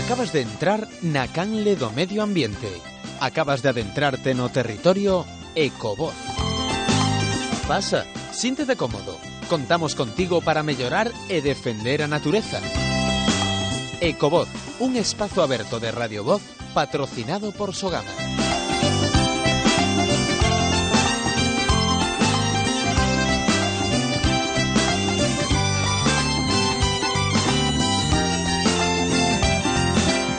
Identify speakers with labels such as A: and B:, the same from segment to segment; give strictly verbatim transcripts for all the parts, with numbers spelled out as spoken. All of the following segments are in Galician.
A: Acabas de entrar na canle do medio ambiente. Acabas de adentrarte no territorio Ecovoz. Pasa, síntete cómodo. Contamos contigo para mellorar e defender a natureza. Ecovoz, un espazo aberto de Radio Voz patrocinado por Sogama.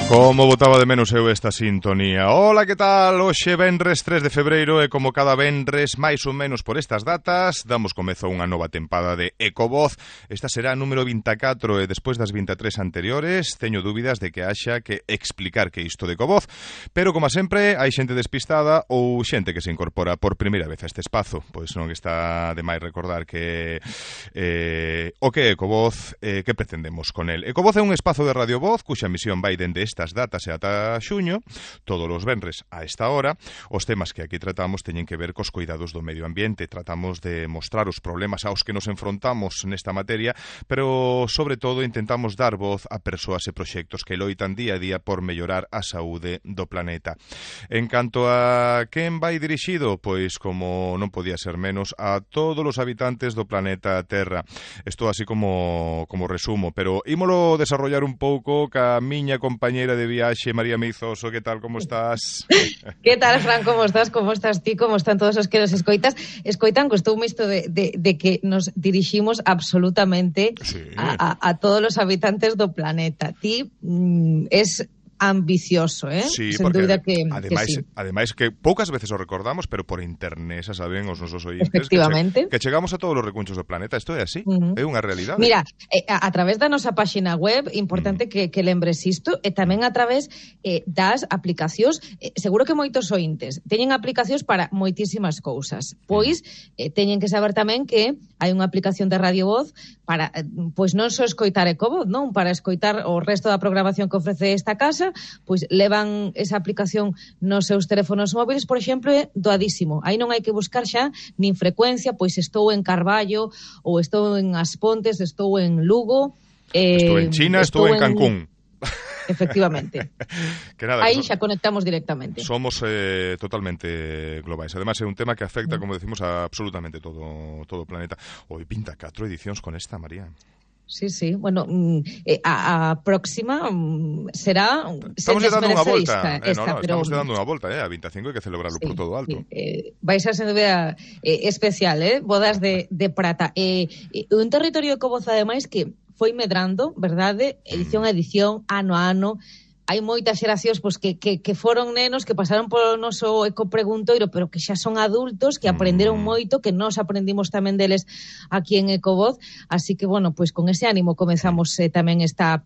B: Como botaba de menos eu esta sintonía. Ola, que tal? Hoxe venres tres de febreiro e como cada venres, máis ou menos por estas datas, damos comezo a unha nova tempada de Ecovoz. Esta será a número vinte e catro e despois das vinte e tres anteriores teño dúbidas de que haxa que explicar que isto de Ecovoz, pero como sempre hai xente despistada ou xente que se incorpora por primeira vez a este espazo. Pois non está de máis recordar que eh, o que é Ecovoz, eh, que pretendemos con el. Ecovoz é un espazo de Radio Voz cuxa misión vai dende este estas datas e ata xuño, todos os venres a esta hora. Os temas que aquí tratamos teñen que ver cos cuidados do medio ambiente. Tratamos de mostrar os problemas aos que nos enfrontamos nesta materia, pero sobre todo intentamos dar voz a persoas e proxectos que loitan día a día por mellorar a saúde do planeta. En canto a quen vai dirixido, pois como non podía ser menos, a todos os habitantes do planeta Terra. Isto así como, como resumo, pero ímolo desarrollar un pouco ca miña compañeira de viaxe, María Meizoso. Que tal, como estás?
C: Que tal, Fran, como estás? Como estás ti? Como están todos os que nos escoitas? Escoitan, costoume isto de, de, de que nos diriximos absolutamente sí. a, a, a todos os habitantes do planeta. Ti mm, es ambicioso, eh?
B: Sí,
C: sen dúbida que,
B: ademais,
C: que sí.
B: Ademais que poucas veces o recordamos, pero por internet, xa saben os nosos ointes,
C: efectivamente,
B: que, che, que chegamos a todos os recunchos do planeta. Isto é así, uh-huh. É unha realidade.
C: Mira, eh, a, a través da nosa páxina web, importante uh-huh. que, que lembres isto, e tamén a través eh, das aplicacións, eh, seguro que moitos ointes teñen aplicacións para moitísimas cousas, pois eh, teñen que saber tamén que hai unha aplicación de Radio Voz para, eh, pois non só escoitar Ecovoz, non? Para escoitar o resto da programación que ofrece esta casa, pois levan esa aplicación nos seus teléfonos móviles, por exemplo, é doadísimo. Aí non hai que buscar xa nin frecuencia, pois estou en Carballo, ou estou en As Pontes, estou en Lugo.
B: Eh, estou en China, estou, estou en Cancún.
C: Efectivamente.
B: Que nada,
C: aí
B: que
C: xa conectamos directamente.
B: Somos eh, totalmente globais. Además é un tema que afecta, como decimos, a absolutamente todo, todo o planeta. Hoy pinta catro edicións con esta, María.
C: Sí, sí. Bueno, eh, a, a próxima mm, será...
B: Estamos se dando unha volta.
C: Esta, esta,
B: eh, no, no,
C: pero...
B: Estamos dando unha volta, eh, a vinte e cinco hai que celebrarlo sí, por todo alto.
C: Sí. Eh, vai ser, sen dúbida, eh, especial, eh? Bodas de, de prata. Eh, eh, un territorio de Ecovoz, ademais, que foi medrando, verdade? Edición a edición, ano a ano. Hai moitas xeracións pois, que, que, que foron nenos que pasaron polo noso ecopreguntoiro, pero que xa son adultos, que aprenderon moito, que nós aprendimos tamén deles aquí en Ecovoz. Así que, bueno, pois con ese ánimo comezamos eh, tamén esta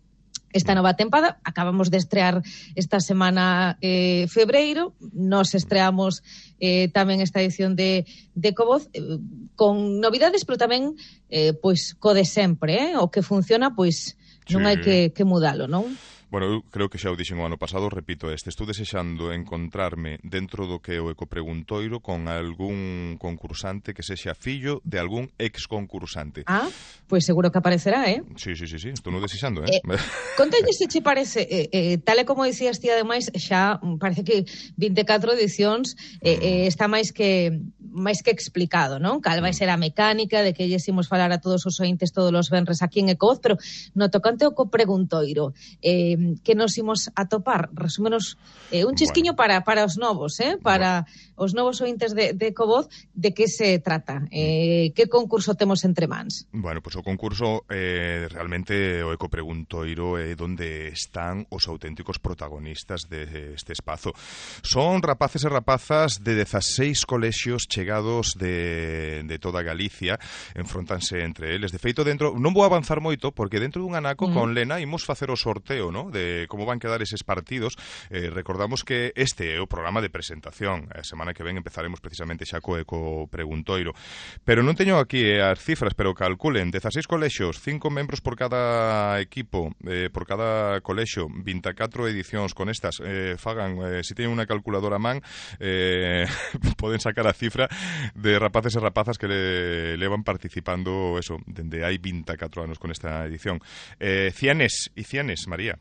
C: esta nova tempada. Acabamos de estrear esta semana eh, febreiro. Nos estreamos eh, tamén esta edición de, de Ecovoz eh, con novidades, pero tamén eh, pois co de sempre, eh? O que funciona, pois non
B: sí.
C: hai que, que mudalo, non?
B: Bueno, eu creo que xa o dixen o ano pasado, repito este, estou desexando encontrarme dentro do que é o ecopreguntoiro con algún concursante que sexa fillo de algún ex concursante.
C: Ah, pois pues seguro que aparecerá, eh?
B: Sí, sí, sí, sí, estou non desexando, eh?
C: eh Contalle se che parece, eh, eh, tal e como dicías ti, ademais, xa parece que vinte e catro edicións eh, eh, está máis que máis que explicado, non? Cal vai ser a mecánica de que lles imos falar a todos os ointes todos os venres aquí en Ecovoz, pero no tocante ao ecopreguntoiro, eh, que nos imos atopar, resúmenos eh, un chisquiño bueno. para, para os novos, eh? Para bueno. os novos ointes de, de Ecovoz, de que se trata? Eh, que concurso temos entre mans?
B: Bueno, pois pues o concurso eh, realmente o ecopreguntoiro é onde están os auténticos protagonistas deste espazo. Son rapaces e rapazas de dezaseis colexios chegados de, de toda Galicia, enfrontanse entre eles. De feito, dentro, non vou avanzar moito, porque dentro dun anaco mm. con Lena imos facer o sorteo, ¿no? De como van quedar eses partidos. Eh, recordamos que este é o programa de presentación. A semana que ven empezaremos precisamente xa co eco preguntoiro. Pero non teño aquí eh, as cifras, pero calculen, dezaseis colexios, cinco membros por cada equipo, eh, por cada colexio, vinte e catro edicións con estas. Eh, fagan, eh, se si teñen unha calculadora a man, eh, poden sacar a cifra de rapaces e rapazas que le, levan participando, eso, dende hai vinte e catro anos con esta edición. Eh, cianes e cianes, María.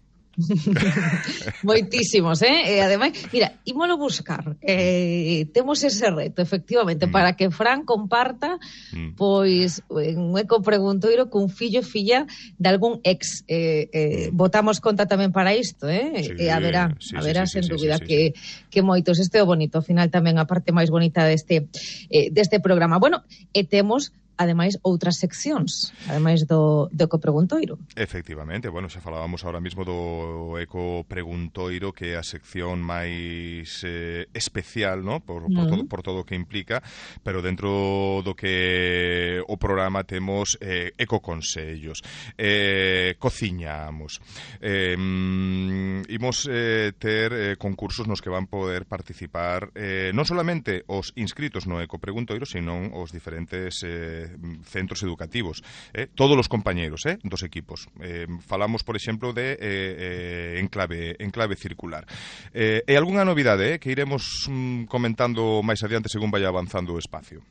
C: Moitísimos, eh? E ademais, mira, ímolo buscar. Eh, temos ese reto, efectivamente, mm. para que Fran comparta mm. pois un ecopreguntoiro cun fillo e filla de algún ex. Eh, eh, botamos conta tamén para isto, eh?
B: Sí,
C: e a verá,
B: sí,
C: a verá
B: sí,
C: sen
B: sí,
C: dúbida
B: sí, sí,
C: que,
B: sí.
C: que moitos. Este é o bonito, ao final tamén a parte máis bonita deste, eh, deste programa. Bueno, e temos ademais outras seccións, ademais do, do ecopreguntoiro.
B: Efectivamente, bueno, xa falábamos ahora mismo do ecopreguntoiro, que é a sección máis eh, especial, ¿no? por, por, mm. todo, por todo o que implica, pero dentro do que o programa temos eh, ecoconsellos, eh, cociñamos, eh, imos eh, ter eh, concursos nos que van poder participar eh, non solamente os inscritos no ecopreguntoiro, sino os diferentes eh, centros educativos, eh, todos os compañeros eh, dos equipos. Eh, falamos, por exemplo, de eh, eh, enclave, enclave circular. Eh, e algunha novidade eh, que iremos mm, comentando máis adiante según vai avanzando o espacio.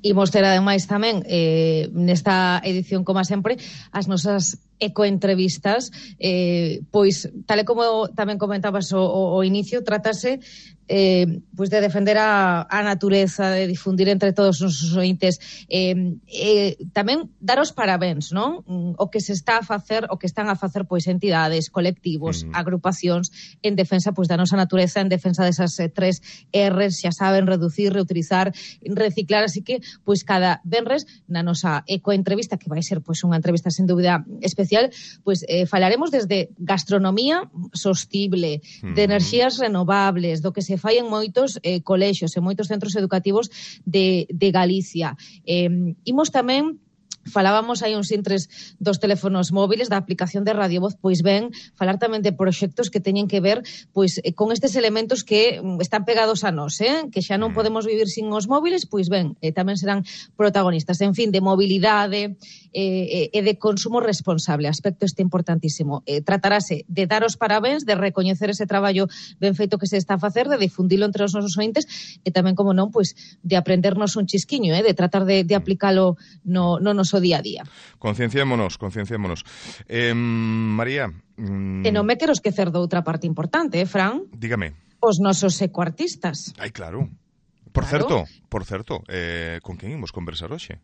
C: Imos ter ademais tamén eh, nesta edición, como sempre, as nosas ecoentrevistas, eh, pois, tal e como tamén comentabas o, o, o inicio, trátase eh, pois de defender a, a natureza, de difundir entre todos os ointes, eh, eh, tamén dar os parabéns, non? O que se está a facer, o que están a facer pois entidades, colectivos, mm. agrupacións en defensa pois da nosa natureza, en defensa desas eh, tres R's, xa saben, reducir, reutilizar, reciclar, así que pois cada venres na nosa ecoentrevista, que vai ser pois unha entrevista sen dúbida especial, pois eh, falaremos desde gastronomía sostible, mm. de enerxías renovables, do que se fai en moitos eh, colexios, en moitos centros educativos de, de Galicia. Eh, imos tamén falábamos hai uns intres dos teléfonos móviles, da aplicación de Radio Voz, pois ben, falar tamén de proxectos que teñen que ver pois con estes elementos que están pegados a nós, eh? Que xa non podemos vivir sin os móviles, pois ben, eh, tamén serán protagonistas. En fin, de mobilidade eh, e de consumo responsable, aspecto este importantísimo. Eh, tratarase de dar os parabéns, de recoñecer ese traballo ben feito que se está a facer, de difundilo entre os nosos ointes e tamén, como non, pois de aprendernos un chisquiño, eh? De tratar de, de aplicalo no, no nos o día a día.
B: Concienciémonos, concienciémonos. Eh, María... Mm...
C: E non me quero esquecer de outra parte importante, eh, Fran?
B: Dígame.
C: Os nosos ecoartistas.
B: Ai, claro. Por
C: claro.
B: certo, por certo, eh, con quen imos conversar hoxe?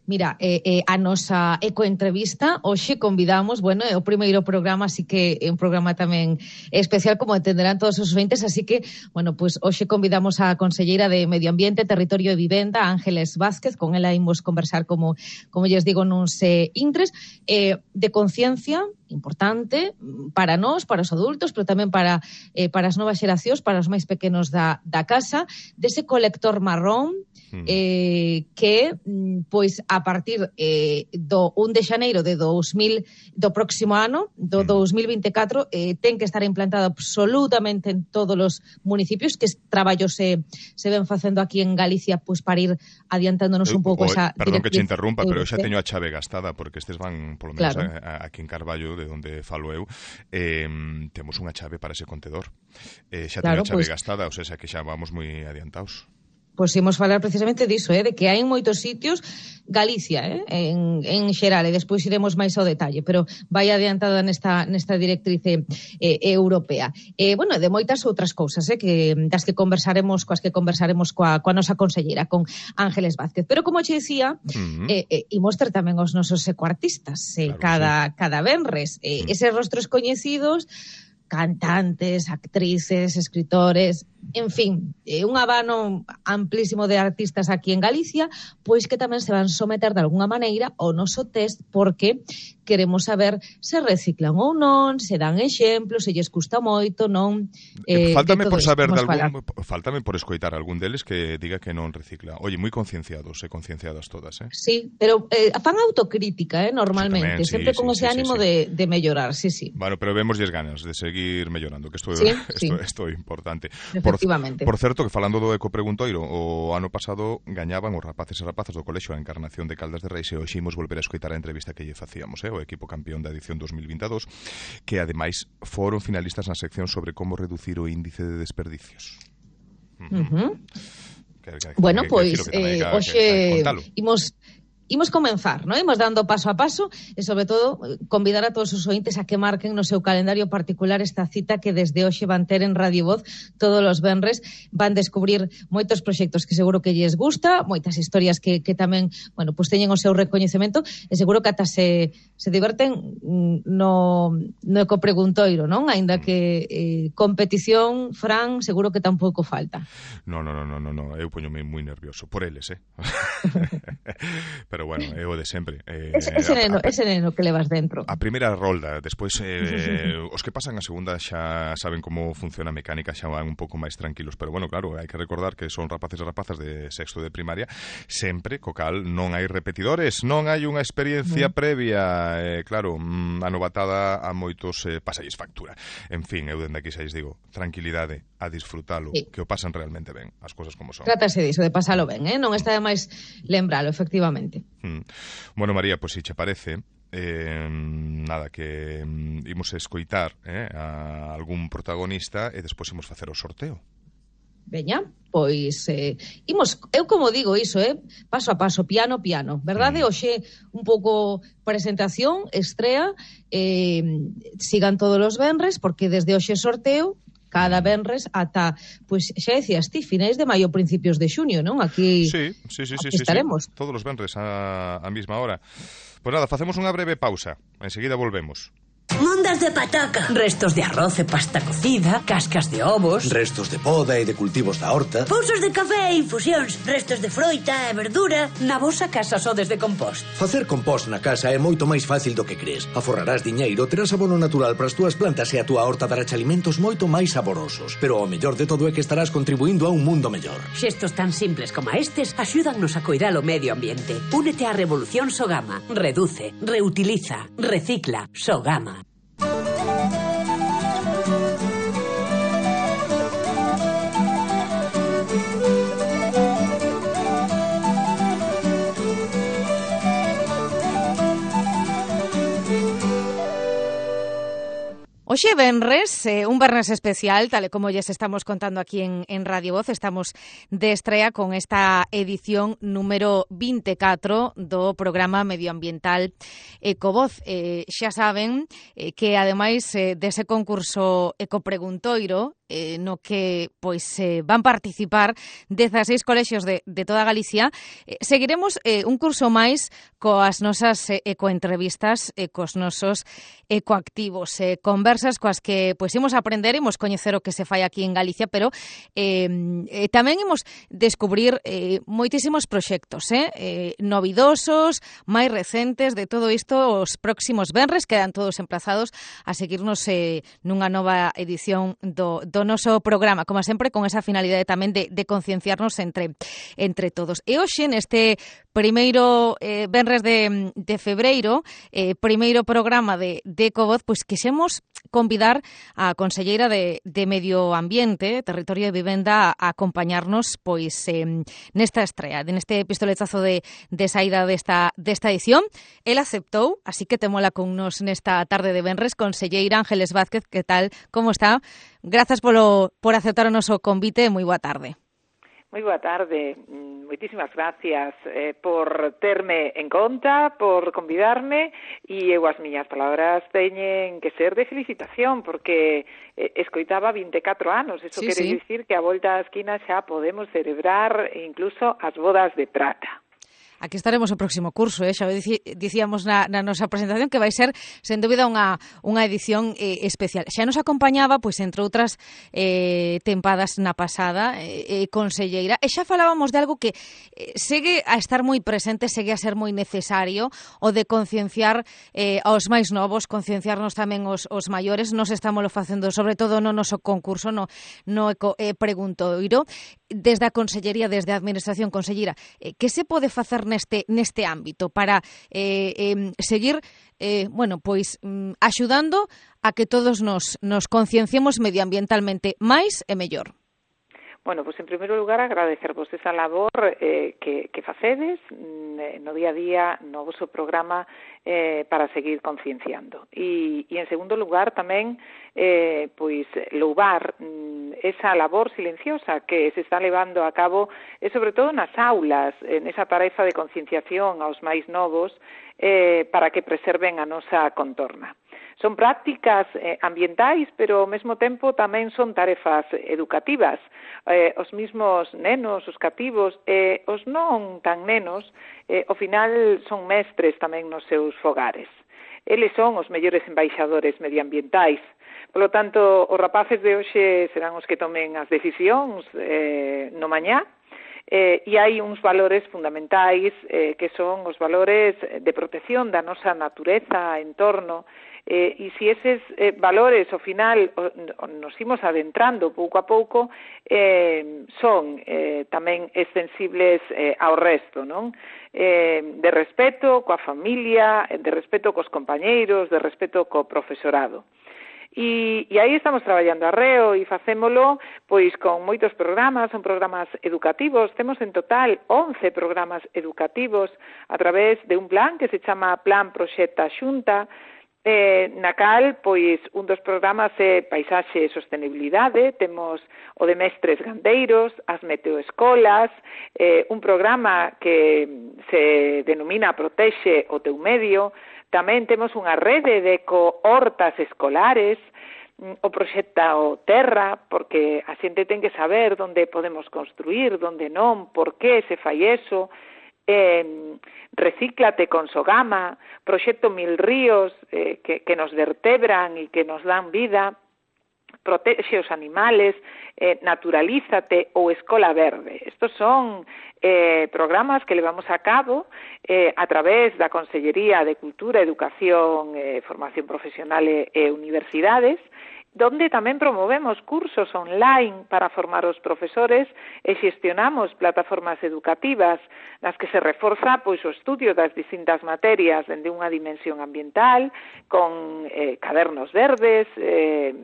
C: Mira, eh, eh, a nosa ecoentrevista hoxe convidamos, bueno, é o primeiro programa, así que é un programa tamén especial, como entenderán todos os ointes, así que, bueno, pues hoxe convidamos a conselleira de Medio Ambiente, Territorio e Vivenda, Ángeles Vázquez, con ela imos conversar, como como lles digo, nuns eh, intres, eh, de conciencia importante para nós, para os adultos, pero tamén para eh, para as novas xeracións, para os máis pequenos da, da casa, dese colector marrón, eh, que, pois, a partir eh, do un de xaneiro de dos mil, do próximo ano, do dos mil vinte e catro, eh, ten que estar implantado absolutamente en todos os municipios, que traballos se, se ven facendo aquí en Galicia, pois, para ir adiantándonos un pouco esa...
B: Perdón que te interrumpa, pero eu xa teño a chave gastada, porque estes van, polo menos,
C: claro.
B: a, a, aquí en Carballo, de onde falo eu, eh, temos unha chave para ese contedor. Eh, xa
C: claro,
B: teño a chave
C: pues,
B: gastada, ou sea, que xa vamos moi adiantados.
C: Pois imos falar precisamente diso, eh, de que hai en moitos sitios, Galicia, eh, en, en xeral, e despois iremos máis ao detalle, pero vai adiantada nesta, nesta directriz eh, europea. Eh, bueno, de moitas outras cousas, eh, que, das que conversaremos, coas que conversaremos coa, coa nosa conselleira, con Ángeles Vázquez. Pero, como che decía, uh-huh. eh, eh, imos ter tamén os nosos ecoartistas, eh, claro, cada, sí. cada venres. Eh, uh-huh. Eses rostros coñecidos, cantantes, actrices, escritores, en fin, eh, un abano amplísimo de artistas aquí en Galicia, pois que tamén se van someter de alguna maneira ao noso test, porque queremos saber se reciclan ou non, se dan exemplos, se lles custa moito, non...
B: Eh, faltame por saber de algún, faltame por escoitar algún deles que diga que non recicla. Oye, moi concienciados e concienciadas todas, eh?
C: Sí, pero eh, fan autocrítica, eh, normalmente, sí, tamén, sempre sí, con sí, ese sí, ánimo sí, sí. De, de mellorar, sí, sí.
B: Bueno, pero vemosles ganas de seguir mellorando, que isto
C: sí,
B: sí. é importante. Por,
C: Efectivamente.
B: Por certo, que falando do ecopreguntoiro, o ano pasado gañaban os rapaces e rapazas do colexio a Encarnación de Caldas de Reis, e hoxe imos volver a escoitar a entrevista que lle facíamos, eh, o equipo campeón da edición dos mil vinte e dous, que ademais foron finalistas na sección sobre como reducir o índice de desperdicios.
C: Uh-huh. Que, que, bueno, pois, eh, hoxe imos... imos comenzar, non? Imos dando paso a paso e, sobre todo, convidar a todos os ointes a que marquen no seu calendario particular esta cita que desde hoxe van ter en Radio Voz todos os venres. Van descubrir moitos proxectos que seguro que lles gusta, moitas historias que, que tamén, bueno, pues teñen o seu recoñecemento e seguro que ata se, se diverten no, no ecopreguntoiro, non? Ainda que eh, competición, Fran, seguro que tampouco falta.
B: No, no, no, no, no, no. Eu poñome moi nervioso por eles, eh? Pero bueno, é o de sempre. Eh,
C: ese, ese, neno, a, a, ese neno que levas dentro.
B: A primeira rolda, despois eh, os que pasan a segunda xa saben como funciona a mecánica, xa van un pouco máis tranquilos, pero bueno, claro, hai que recordar que son rapaces e rapazas de sexto de primaria, sempre, co cal, non hai repetidores, non hai unha experiencia mm. previa, eh, claro, mm, a novatada a moitos eh, pasalles factura. En fin, eu dende aquí xa lles digo, tranquilidade, a disfrutalo, sí. Que o pasan realmente ben, as cousas como son.
C: Trátase diso, de pasalo ben, eh? Non está de máis lembralo, efectivamente.
B: Mm. Bueno, María, pois pues, se che parece, eh, nada, que mm, imos escoitar eh, a algún protagonista e despois imos facer o sorteo.
C: Veña, pois eh, imos, eu como digo iso, eh, paso a paso, piano, piano, verdade? Mm. Hoxe un pouco presentación, estrea, eh, sigan todos os venres, porque desde hoxe sorteo, cada venres ata, pois xa decías ti, finais de maio, principios de xuño, non? Aquí,
B: sí, sí, sí,
C: aquí
B: sí,
C: estaremos.
B: Sí, todos os venres a, a mesma hora. Pois nada, facemos unha breve pausa, enseguida volvemos.
D: Mondas de pataca, restos de arroz e pasta cocida, cascas de ovos,
E: restos de poda e de cultivos da horta,
D: pousos de café e infusións, restos de froita e verdura. Na vosa casa sodes de compost.
E: Facer compost na casa é moito máis fácil do que crees. Aforrarás diñeiro, terás abono natural para as túas plantas e a túa horta dará alimentos moito máis saborosos. Pero o mellor de todo é que estarás contribuindo a un mundo mellor.
D: Xestos tan simples como estes axúdannos a coidar o medio ambiente. Únete á Revolución Sogama. Reduce, reutiliza, recicla. Sogama.
F: Oxe, venres, eh, un venres especial, tal e como lles estamos contando aquí en, en Radio Voz, estamos de estrea con esta edición número vinte e catro do programa medioambiental Ecovoz. Eh, xa saben eh, que, ademais eh, dese concurso Ecopreguntoiro, eh, no que pois eh, van participar dezaseis colexios de, de toda Galicia, eh, seguiremos eh, un curso máis coas nosas eh, ecoentrevistas e eh, cos nosos ecoactivos, eh, conversas coas que pois imos aprender, imos coñecer o que se fai aquí en Galicia, pero eh, eh, tamén imos descubrir eh, moitísimos proxectos, eh, eh, novidosos, máis recentes, de todo isto os próximos venres, quedan todos emplazados a seguirnos eh, nunha nova edición do, do noso programa, como sempre, con esa finalidade tamén de, de concienciarnos entre, entre todos. E hoxe, neste primeiro eh, venres de, de febreiro, eh, primeiro programa de, de Ecovoz, pois quixemos convidar a conselleira de, de Medio Ambiente, Territorio e Vivenda a acompañarnos pois eh, nesta estrea, neste pistoletazo de, de saída desta, desta edición. El aceptou, así que temola con nos nesta tarde de venres. Conselleira Ángeles Vázquez, que tal? Como está? Grazas polo, por aceptar o noso convite. Moi boa tarde.
G: Moi boa tarde, moitísimas gracias eh, por terme en conta, por convidarme, e eu as miñas palabras teñen que ser de felicitación, porque eh, escoitaba vinte e catro anos, eso sí, quere sí. dicir que a volta á esquina xa podemos celebrar incluso as bodas de prata.
F: Aquí estaremos o próximo curso, eh? Xa dicíamos na, na nosa presentación que vai ser, sen dúbida, unha, unha edición eh, especial. Xa nos acompañaba, pois, entre outras eh, tempadas na pasada, eh, conselleira, e xa falábamos de algo que eh, segue a estar moi presente, segue a ser moi necesario, o de concienciar eh, aos máis novos, concienciarnos tamén os, os maiores. Nos estamos facendo, sobre todo no noso concurso, no, no eco, eh, preguntoiro, desde a Consellería, desde a Administración. Conselleira, eh, que se pode facer neste neste ámbito para eh, eh, seguir eh, bueno, pois mm, axudando a que todos nos, nos concienciemos medioambientalmente máis e mellor?
G: bueno, pois en primeiro lugar agradecervos esa labor eh, que, que facedes no día a día no vosso programa eh, para seguir concienciando. E, e en segundo lugar tamén eh, pois louvar mm, esa labor silenciosa que se está levando a cabo e sobre todo nas aulas, en esa tarefa de concienciación aos máis novos eh, para que preserven a nosa contorna. Son prácticas eh, ambientais, pero ao mesmo tempo tamén son tarefas educativas. Eh, os mismos nenos, os cativos, e eh, os non tan nenos, eh, ao final son mestres tamén nos seus fogares. Eles son os mellores embaixadores medioambientais. Por lo tanto, os rapaces de hoxe serán os que tomen as decisións eh, no mañá, Eh, e hai uns valores fundamentais eh, que son os valores de protección da nosa natureza, entorno, eh, e se eses eh, valores ao final o, o, nos imos adentrando pouco a pouco eh, son eh, tamén extensibles eh, ao resto, non? Eh, de respeto coa familia, de respeto cos compañeiros, de respeto co profesorado. E, e aí estamos traballando arreo e facémolo pois con moitos programas, son programas educativos, temos en total once programas educativos a través de un plan que se chama Plan Proxecta Xunta, eh, na cal pois un dos programas é Paisaxe e Sostenibilidade, temos o de Mestres Gandeiros, as Meteoescolas, eh, un programa que se denomina Protexe o teu medio. Tamén temos unha rede de eco-hortas escolares, o proxecto Terra, porque a xente ten que saber onde podemos construir, onde non, por que se fai eso, eh, Recíclate con Sogama, proxecto Mil Ríos, eh, que, que nos vertebran e que nos dan vida, Protexe os animales, eh, Naturalízate ou Escola Verde. Estos son eh, programas que levamos a cabo eh, a través da Consellería de Cultura, Educación, eh, Formación Profesional e, e Universidades, donde tamén promovemos cursos online para formar os profesores e xestionamos plataformas educativas nas que se reforza pois o estudio das distintas materias dende unha dimensión ambiental, con eh, cadernos verdes, eh,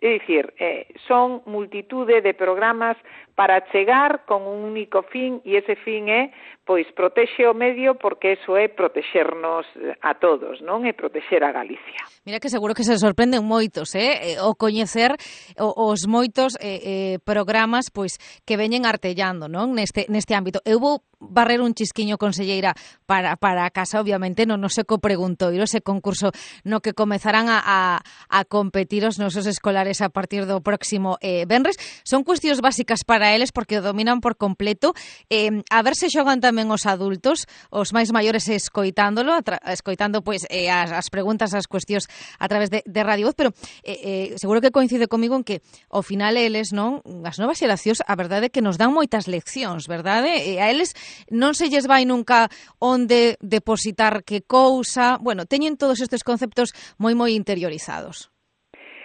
G: é dicir, eh, son multitude de programas para chegar con un único fin, e ese fin é pois protexe o medio, porque eso é protexernos a todos, non? É protexer a Galicia.
F: Mira que seguro que se sorprenden moitos, eh? O coñecer os moitos eh, eh, programas pois que veñen artellando, non? Neste, neste ámbito. Eu vou barrer un chisquiño, conselleira, para, para a casa, obviamente, non no seco preguntoiro, ese concurso no que comezarán a, a, a competir os nosos escolares a partir do próximo eh, venres. Son cuestións básicas para eles porque o dominan por completo. Eh, a ver se xogan tamén os adultos, os máis maiores escoitándolo, escoitando pois eh, as, as preguntas, as cuestións a través de, de Radio Voz, pero eh, eh, seguro que coincide comigo en que ao final eles, non, as novas xeracións, a verdade é que nos dan moitas leccións, verdade? E a eles non se lles vai nunca onde depositar que cousa, bueno, teñen todos estes conceptos moi moi interiorizados.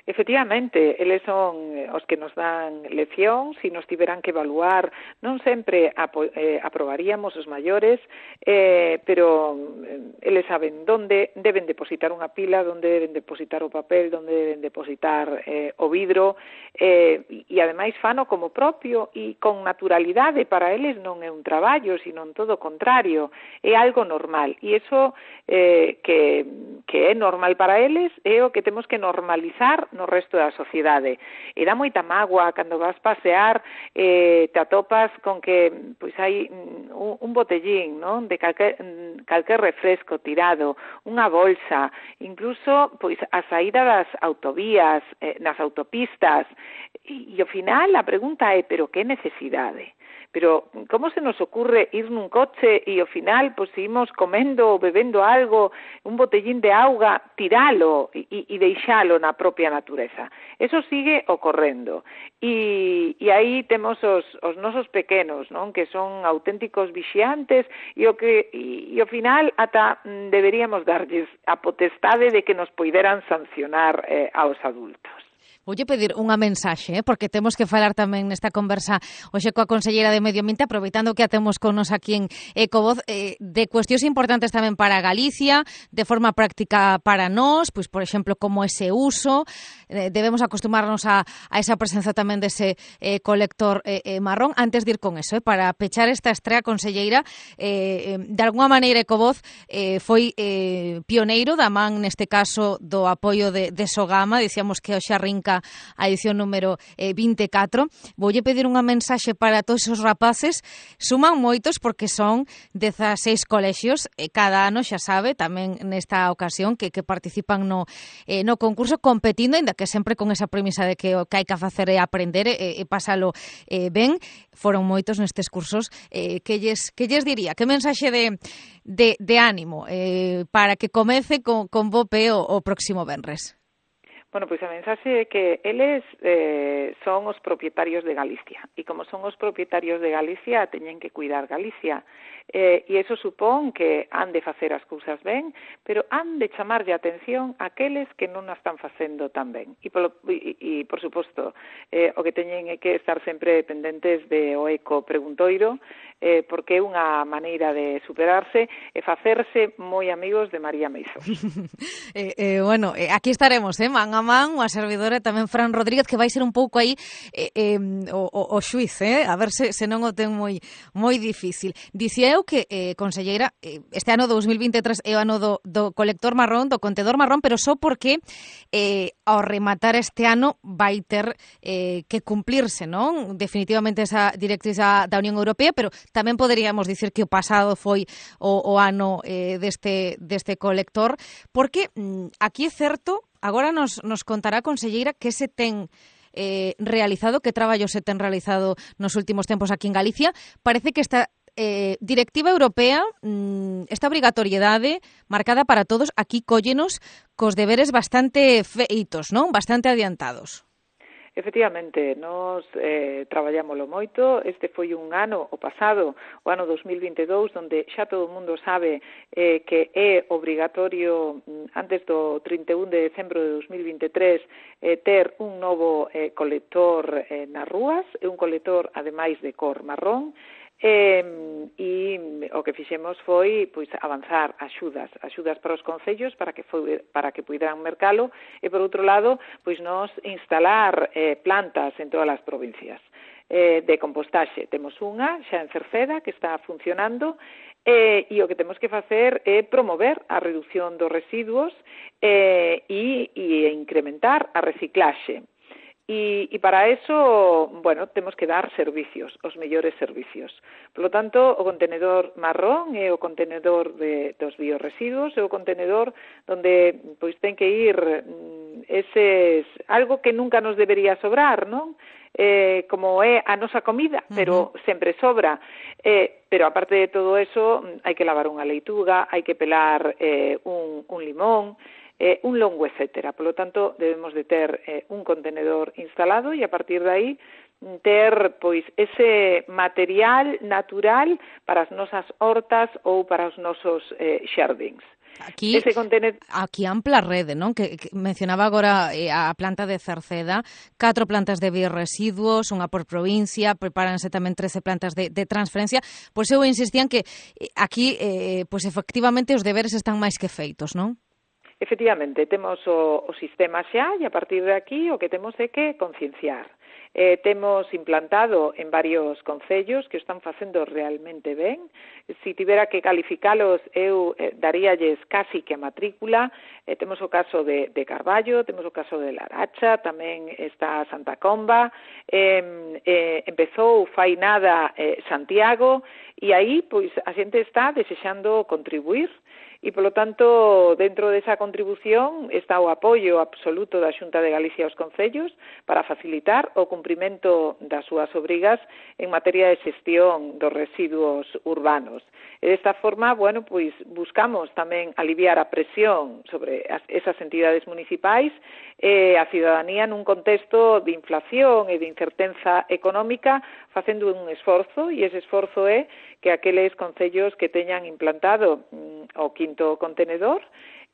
G: Efectivamente, eles son os que nos dan leccións e nos tiveran que evaluar. Non sempre apo, eh, aprobaríamos os maiores, eh, pero eles saben onde deben depositar unha pila, onde deben depositar o papel, onde deben depositar eh, o vidro, eh, e ademais fano como propio e con naturalidade. Para eles non é un traballo, sino en todo o contrario, é algo normal. E iso eh, que, que é normal para eles é o que temos que normalizar no resto da sociedade. E dá moita mágoa cando vas pasear, eh, te atopas con que pois hai un, un botellín, non, de calquer, calquer refresco tirado, unha bolsa, incluso pois a saída das autovías, eh, nas autopistas, e, e ao final a pregunta é, pero que necesidade? Pero como se nos ocurre ir nun coche e ao final pois seguimos comendo ou bebendo algo, un botellín de auga, tiralo e, e deixalo na propia natureza. Eso sigue ocorrendo. E, e aí temos os, os nosos pequenos, non? Que son auténticos vixiantes e o que e, e ao final ata deberíamos darlles a potestade de que nos poideran sancionar eh, aos adultos.
F: Voulle pedir unha mensaxe, eh, porque temos que falar tamén nesta conversa hoxe coa conselleira de Medio Ambiente, aproveitando que a temos con nos aquí en Ecovoz, eh, de cuestións importantes tamén para Galicia, de forma práctica para nós, pois, por exemplo, como ese uso eh, debemos acostumarnos a, a esa presenza tamén dese eh, colector eh, eh, marrón. Antes de ir con eso, eh, para pechar esta estrea, conselleira, eh, eh, de alguna maneira Ecovoz eh, foi eh, pioneiro da man, neste caso, do apoio de, de Sogama. Dicíamos que hoxe arrinca a edición número eh, vinte e catro. Voulle pedir unha mensaxe para todos os rapaces. Suman moitos porque son dezaseis colexios, e cada ano, xa sabe, tamén nesta ocasión, que, que participan no, eh, no concurso competindo, ainda que sempre con esa premisa de que o que hai que facer é aprender e, e pasalo eh, ben. Foron moitos nestes cursos. Eh, que, lles, que lles diría? Que mensaxe de, de, de ánimo eh, para que comece con, con bo pé o, o próximo venres?
G: Bueno, pois a mensaxe é que eles eh, son os propietarios de Galicia, e como son os propietarios de Galicia, teñen que cuidar Galicia. Eh, e iso supón que han de facer as cousas ben, pero han de chamarlle a atención aqueles que non a están facendo tan ben. E, polo, e, e por suposto, eh, o que teñen é que estar sempre pendentes de o eco preguntoiro, eh, porque é unha maneira de superarse e facerse moi amigos de María Meizo.
F: eh, eh, bueno, eh, aquí estaremos, eh, man a man, a servidora tamén Fran Rodríguez, que vai ser un pouco aí eh, eh, o, o, o xuiz, eh, a ver se, se non o ten moi moi difícil. Dicía eu que, eh, conselleira, eh, este ano dous mil vinte e tres é o ano do, do colector marrón, do contedor marrón, pero só porque eh, ao rematar este ano vai ter eh, que cumplirse, non? Definitivamente esa directriz da, da Unión Europea, pero tamén poderíamos dicir que o pasado foi o, o ano eh, deste, deste colector, porque mm, aquí é certo, agora nos, nos contará, conselleira, que se ten eh, realizado, que traballo se ten realizado nos últimos tempos aquí en Galicia. Parece que esta eh, directiva europea, mmm, esta obrigatoriedade marcada para todos, aquí cóllenos cos deberes bastante feitos, non? Bastante adiantados.
G: Efectivamente, nos eh, traballámoslo moito. Este foi un ano, o pasado, o ano dos mil vinte e dous, onde xa todo o mundo sabe eh, que é obrigatorio antes do trinta e un de decembro de dos mil vinte e tres eh, ter un novo eh, colector eh, nas rúas, e un colector ademais de cor marrón. Eh, e o que fixemos foi pois avanzar axudas, axudas para os concellos para que foi, para que puideran mercalo, e por outro lado, pois nos instalar eh, plantas en todas as provincias eh, de compostaxe. Temos unha xa en Cerceda que está funcionando, eh, e o que temos que facer é promover a reducción dos residuos eh, e, e incrementar a reciclaxe. E, e para eso, bueno, temos que dar servicios, os mellores servicios. Por lo tanto, o contenedor marrón é o contenedor de, dos biorresiduos, é o contenedor onde pois ten que ir eses algo que nunca nos debería sobrar, non? Eh, como é a nosa comida, pero uh-huh. sempre sobra. Eh, pero aparte de todo eso, hai que lavar unha leituga, hai que pelar eh, un, un limón, Eh, un longo, etcétera. Por lo tanto, debemos de ter eh, un contenedor instalado e a partir de aí ter pois ese material natural para as nosas hortas ou para os nosos eh, xardíns.
F: Aquí, contenedor... aquí ampla rede, non? Que, que mencionaba agora eh, a planta de Cerceda, catro plantas de biorresiduos, unha por provincia, prepáranse tamén trece plantas de, de transferencia. Pois eu insistía en que eh, aquí, eh, pois efectivamente, os deberes están máis que feitos, non?
G: Efectivamente, temos o, o sistema xa e a partir de aquí o que temos é que concienciar. Eh, temos implantado en varios concellos que están facendo realmente ben. Si tivera que calificalos, eu eh, daríalles casi que a matrícula. Eh, temos o caso de, de Carballo, temos o caso de Laracha, tamén está Santa Comba, eh, eh, empezou fai nada eh, Santiago, e aí pois a xente está desexando contribuir. E, polo tanto, dentro desa contribución está o apoio absoluto da Xunta de Galicia aos concellos para facilitar o cumprimento das súas obrigas en materia de xestión dos residuos urbanos. E desta forma, bueno, pois buscamos tamén aliviar a presión sobre as, esas entidades municipais e a cidadanía nun contexto de inflación e de incerteza económica, facendo un esforzo, e ese esforzo é que aqueles concellos que teñan implantado mm, o quinto contenedor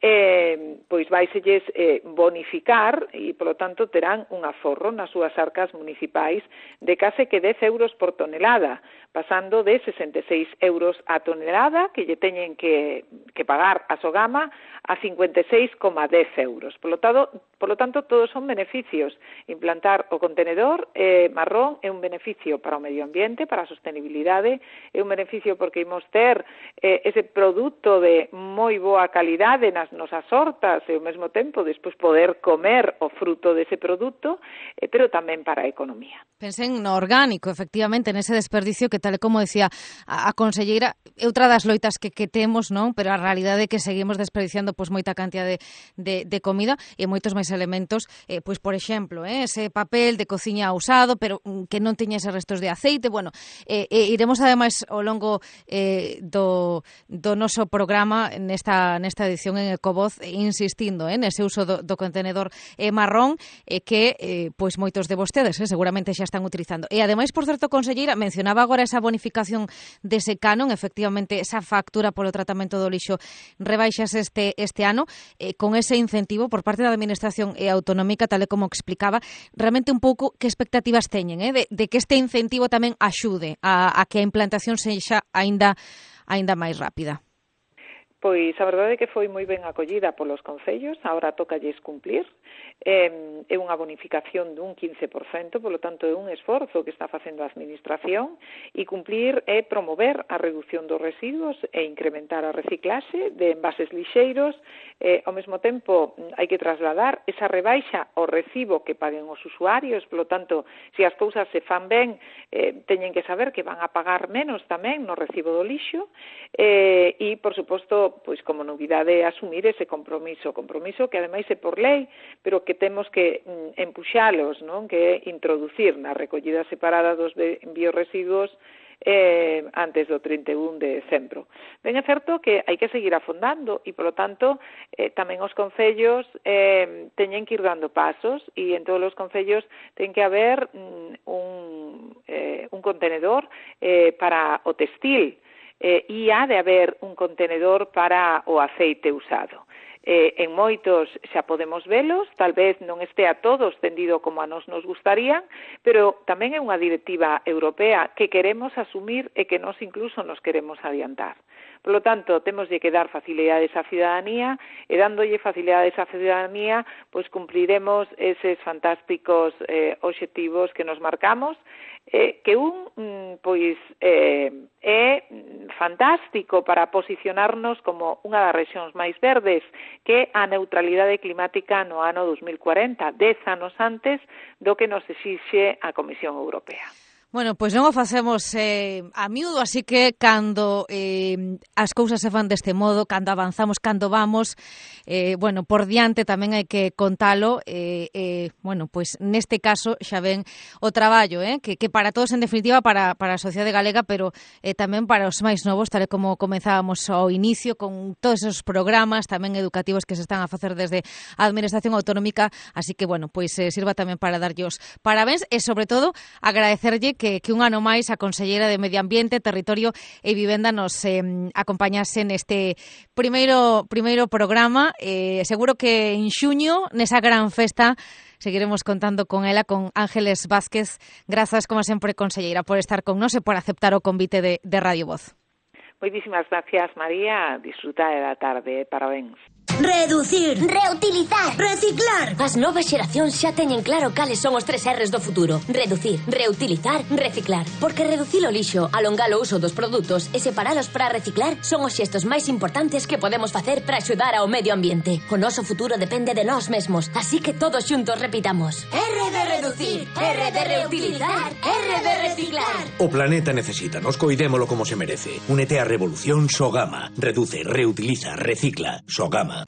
G: eh, pois vaiselles eh, bonificar e, polo tanto, terán un aforro nas súas arcas municipais de case que dez euros por tonelada, pasando de sesenta e seis euros a tonelada que lle teñen que, que pagar a Sogama a cincuenta e seis coma dez euros. Por lo tanto, por lo tanto, todos son beneficios. Implantar o contenedor eh, marrón é un beneficio para o medio ambiente, para a sostenibilidade, é un beneficio porque imos ter eh, ese produto de moi boa calidade nas nosas hortas e ao mesmo tempo despois poder comer o fruto dese produto, eh, pero tamén para a economía.
F: Pensen no orgánico, efectivamente, nese desperdicio que, tal como decía a, a conselleira, é outra das loitas que, que temos, non? Pero a realidade é que seguimos desperdiciando pois moita cantidad de, de, de comida e moitos máis elementos, eh, pois por exemplo, eh, ese papel de cociña usado, pero que non teña eses restos de aceite. Bueno, eh, eh, iremos ademais ao longo eh, do, do noso programa nesta, nesta edición en Ecovoz insistindo eh, nese uso do, do contenedor eh, marrón eh, que eh, pois moitos de vostedes eh, seguramente xa están utilizando. E ademais, por certo, conselleira, mencionaba agora esa bonificación dese canon, efectivamente, esa factura polo tratamento do lixo rebaixas este, este ano, eh, con ese incentivo por parte da Administración e autonómica, tal e como explicaba, realmente un pouco que expectativas teñen, eh, de, de que este incentivo tamén axude a, a que a implantación sexa aínda aínda máis rápida.
G: Pois a verdade é que foi moi ben acollida polos concellos, agora tócalles cumplir, eh, é unha bonificación dun quince por cento, polo tanto é un esforzo que está facendo a Administración, e cumplir é promover a reducción dos residuos e incrementar a reciclaxe de envases lixeiros, eh, ao mesmo tempo hai que trasladar esa rebaixa ao recibo que paguen os usuarios, polo tanto, se as cousas se fan ben, eh, teñen que saber que van a pagar menos tamén no recibo do lixo, eh, e, por suposto, pois como novidade asumir ese compromiso, compromiso que ademais é por lei, pero que temos que mm, empuxalos, non? Que é introducir na recollida separada dos biorresiduos eh, antes do trinta e un de decembro. Ben é certo que hai que seguir afondando e, polo tanto, eh, tamén os concellos eh, teñen que ir dando pasos e en todos os concellos ten que haber mm, un, eh, un contenedor eh, para o textil, Eh, e ha de haber un contenedor para o aceite usado. Eh, en moitos xa podemos velos, tal vez non este a todos tendido como a nos nos gustaría, pero tamén é unha directiva europea que queremos asumir e que nos incluso nos queremos adiantar. Por lo tanto, temos de que dar facilidades á cidadanía e dándolle facilidades á cidadanía, pois cumpriremos eses fantásticos eh, obxectivos que nos marcamos, eh, que un pois eh, é fantástico para posicionarnos como unha das rexións máis verdes, que a neutralidade climática no ano dos mil cuarenta, dez anos antes do que nos exixe a Comisión Europea.
F: Bueno, pois non o facemos eh, a miúdo, así que cando eh, as cousas se fan deste modo, cando avanzamos, cando vamos, eh, bueno, por diante tamén hai que contalo, eh, eh, bueno, pois neste caso xa ven o traballo, eh, que, que para todos, en definitiva, para, para a sociedade galega, pero eh, tamén para os máis novos, tal como comenzábamos ao inicio, con todos esos programas tamén educativos que se están a facer desde a Administración Autonómica, así que, bueno, pois eh, sirva tamén para darlle os parabéns e, sobre todo, agradecerlle que, que un ano máis a Conselleira de Medio Ambiente, Territorio e Vivenda nos eh, acompañase neste primeiro primeiro programa. Eh, seguro que en xuño, nesa gran festa, seguiremos contando con ela, con Ángeles Vázquez. Grazas, como sempre, Conselleira, por estar con nós e por aceptar o convite de, de Radio Voz.
G: Moitísimas gracias, María. Disfruta da tarde. Parabéns.
H: Reducir,
I: reutilizar,
H: reciclar.
D: As novas xeracións xa teñen claro cales son os tres R's do futuro: reducir, reutilizar, reciclar. Porque reducir o lixo, alongar o uso dos produtos e separalos para reciclar son os xestos máis importantes que podemos facer para axudar ao medio ambiente. O noso futuro depende de nós mesmos, así que todos xuntos repitamos:
H: R de reducir, R de reutilizar, R de reciclar.
E: O planeta necesita, nos coidémolo como se merece. Únete á revolución Sogama. Reduce, reutiliza, recicla. Sogama.